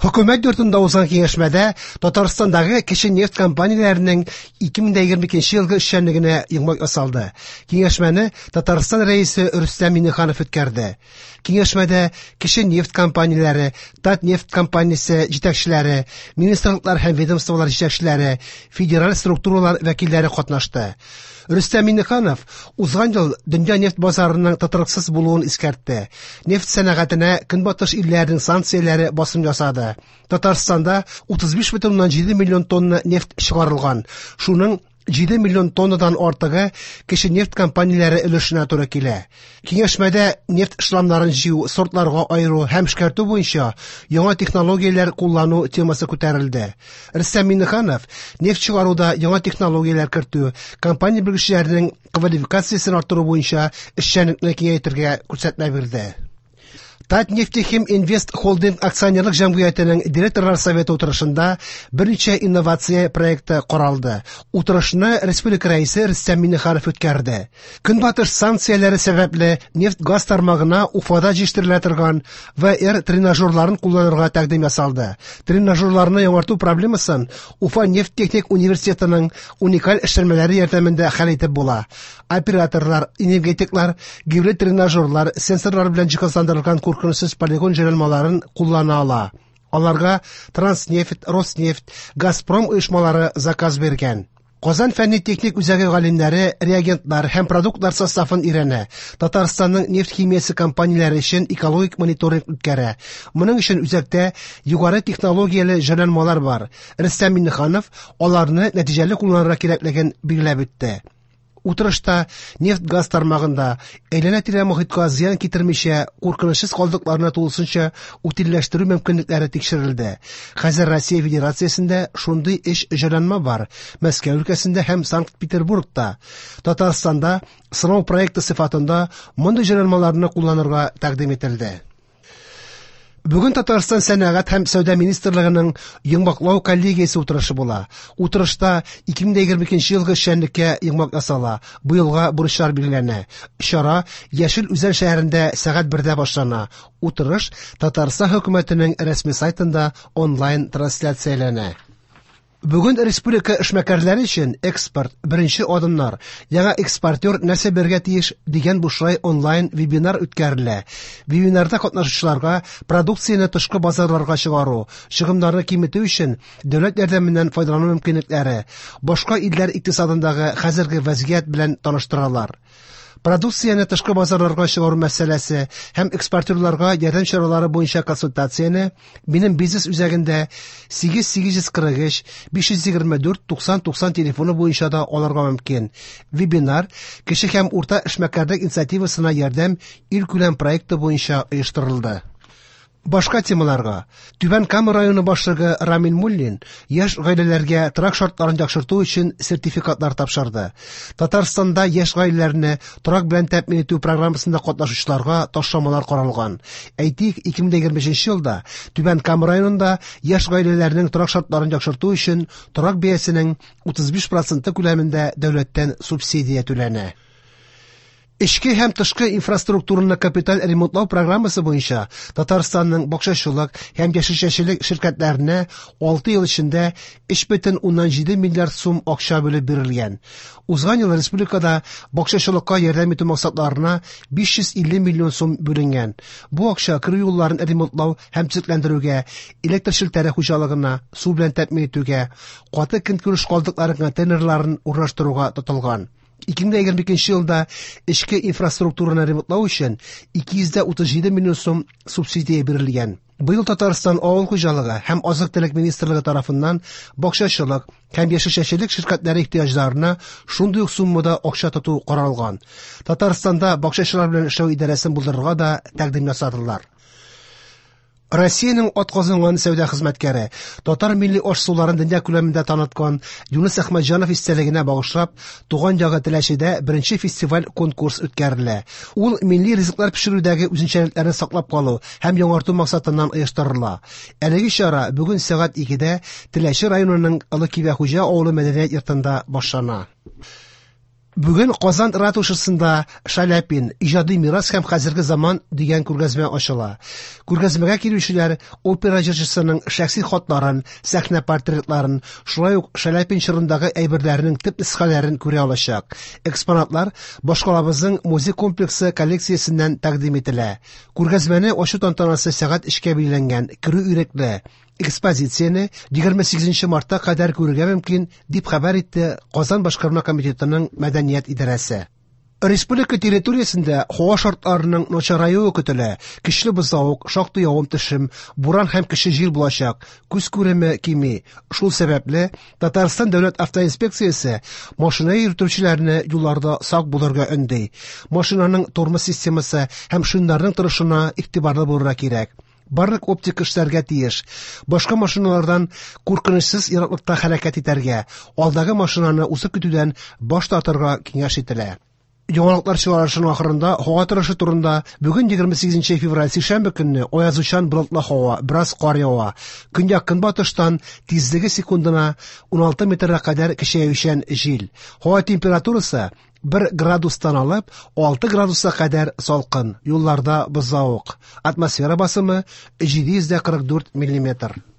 Хөкүмәт йортында узган киңәшмәдә Татарстандагы кече нефть компанияләренең 2022 елгы эшчәнлегенә йомгак ясалды. Киңәшмәне Татарстан Рәисе Рөстәм Миңнеханов үткәрде. Киңәшмәдә кече нефть компанияләре, Татнефть компаниясе җитәкчеләре, министрлыклар һәм ведомстволар җитәкчеләре, федераль структуралар вәкилләре катнашты. Рөстәм Миңнеханов узган ел дөнья нефть базарының тотрыксыз булуын искәртте. Нефть сәнәгатенә Көнбатыш илләренең санкцияләре басым ясады. Татарстанда 35,7 миллион тонна нефть чыгарылган. Шуның 7 миллион тоннадан артыгы кече нефть компанияләре өлешенә туры килә. Киңәшмәдә нефть шламнарын җыю, сортларга аеру һәм эшкәртү буенча яңа технологияләр куллану темасы күтәрелде. Рөстәм Миңнеханов нефть чыгаруда яңа технологияләр кертү, компания белгечләренең квалификациясен арттыру буенча эшчәнлекне киңәйтергә күрсәтмә бирде. Татнефтехим Инвест Холдинг акционерлык җәмгыятенең директорлар советы утырышында берничә инновация проекты каралды. Утырышны республика Рәисе Рөстәм Миңнеханов үткәрде. Көнбатыш санкцияләре сәбәпле нефть-газ тармагына Уфада җитештерелә торган VR тренажерларын кулланырга тәкъдим ясалды. Тренажерларны яңарту проблемасын Уфа нефть техник университетының уникаль эшләнмәләре ярдәмендә хәл итеп була. Операторлар, энергетиклар гибрид тренажерлар, сенсорлар белән җиһазландырылган куркынычсыз полигон җайланмаларын куллана ала. Аларга Транснефть, Роснефть, Газпром оешмалары заказ биргән. Казан фәнни-техник үзәге галимнәре реагентлар һәм продуктлар составын өйрәнә. Татарстанның нефть химиясе компанияләре өчен экологик мониторинг үткәрә. Моның өчен үзәктә югары технологияле җайланмалар бар. Рөстәм Миңнеханов аларны нәтиҗәле кулланырга кирәклеген билгеләп үтте. Утырышта нефть-газ тармагында әйләнә-тирә мохиткә зыян китермичә куркынычсыз калдыкларны тулысынча утильләштерү мөмкинлекләре тикшерелде. Хәзер Россия Федерациясендә шундый өч җайланма бар: Мәскәү өлкәсендә һәм Санкт-Петербургта. Татарстанда сынау проекты сыйфатында мондый җайланмаларны кулланырга тәкъдим ителде. Бүген Татарстан Сәнәгать һәм сәүдә министрлыгының йомгаклау коллегиясе утырышы була. Утырышта 2022 елгы эшчәнлеккә йомгак ясала, быелга бурычлар билгеләнә. Чара Яшел Үзән шәһәрендә сәгать 1дә башлана. Утырыш Татарстан хөкүмәтенең рәсми сайтында онлайн трансляцияләнә. Бүген республика эшмәкәрләре өчен экспорт беренче адымнар, яңа экспортер нәрсә белергә тиеш дигән бушлай онлайн вебинар үткәрелә. Вебинарда катнашучыларга продукцияне тышкы базарларга чыгару, чыгымнарны киметү өчен дәүләт ярдәменнән файдалану мөмкинлекләре, башка илләр икътисадындагы хәзерге вазгыять белән таныштыралар. Продукцияне тышкы базарларга чыгару мәсьәләсе һәм экспортерларга ярдәм чаралары буенча консультацияне Минем бизнес үзәгендә 8843 524 90 90 телефоны буенча да алырга мөмкин. Вебинар Кече һәм урта эшмәкәрлек инициативасына ярдәм илкүләм проекты буенча оештырылды. Башка темаларга. Түбән Кама районы башлыгы Рамил Муллин яшь гаиләләргә торак шартларын яхшырту өчен сертификатлар тапшырды. Татарстанда яшь гаиләләрне торак белән тәэмин итү программасында катнашучыларга ташламалар каралган. Әйтик, 2025 елда Түбән Кама районында яшь гаиләләрнең торак шартларын яхшырту өчен торак бәясенең 35 проценты күләмендә дәүләттән субсидия түләнә. Эчке һәм тышкы инфраструктураны капиталь ремонтлау программасы буенча Татарстанның бакчачылык һәм яшелчәчелек ширкәтләренә 6 ел эчендә 3,7 миллиард сум акча бүлеп бирелгән. Узган ел республикада бакчачылыкка ярдәм итү максатларына 550 миллион сум бүленгән. Бу акча керү юлларын ремонтлау һәм төзекләндерүгә, электр челтәре хуҗалыгына су белән тәэмин итүгә, каты көнкүреш калдыклары контейнерларын урнаштыруга тотылган. 2022 елда эчке инфраструктураны ремонтлау өчен 237 миллион сум субсидия бирелгән. Быел Татарстан авыл хуҗалыгы һәм азык-төлек министрлыгы тарафыннан бакчачылык һәм яшелчәчелек ширкәтләре ихтыяҗларына шундый ук суммада акча тоту каралган. Татарстанда бакчачылар белән эшләү идарәсен булдырырга да тәкъдим ясадылар. Россиянең атказанган сәүдә хезмәткәре, татар милли аш-суларын дөнья күләмендә таныткан Юныс Әхмәтҗанов истәлегенә багышлап, туган ягы Теләчедә беренче фестиваль-конкурс үткәрелә. Ул милли ризыклар пешерүдәге үзенчәлекләрне саклап калу һәм яңарту максатыннан оештырыла. Әлеге чара бүген сәгать 2дә Теләче районының Олы Кибәхуҗа авылы мәдәният йортында башлана. Бүген Казан ратушасында Шаляпин: иҗади мирас һәм хәзерге заман дигән күргәзмә ачыла. Күргәзмәгә килүчеләр опера җырчысының шәхси хатларын, сәхнә портретларын, шулай ук Шаляпин чорындагы әйберләрнең төп нөсхәләрен күрә алачак. Экспонатлар башкалабызның музей комплексы коллекциясеннән тәкъдим ителә. Күргәзмәне ачу тантанасы сәгать 3-кә билгеләнгән. Керү ирекле. Экспозицияне 28 мартка кадәр күрергә мөмкин, дип хәбәр итте Казан башкарма комитетының мәдәният идарәсе. Республика территориясендә һава шартларының начараюы көтелә. Көчле бозлавык, шактый явым-төшем, буран һәм көчле җил булачак. Күз күреме кими. Шул сәбәпле Татарстан дәүләт автоинспекциясе машина йөртүчеләрне юлларда сак булырга өнди. Машинаның тормоз системасы һәм шиннарның торышына игътибарлы булырга кирәк. Барлык оптика эшләргә тиеш. Башка машиналардан куркынычсыз ераклыкта хәрәкәт итәргә, алдагы машинаны узып китүдән баш тартырга киңәш ителә. Яңалыклар чыгарышының ахырында һава торышы турында. Бүген, 28 февраль, сишәмбе көнне аязучан болытлы һава, бераз кар ява. Көньяк-көнбатыштан тизлеге секундына 16 метрга кадәр көчәючән җил. Һава температурасы 1 градустан алып 6 градуска кадәр салкын, юлларда бозлавык. Атмосфера басымы 744 миллиметр.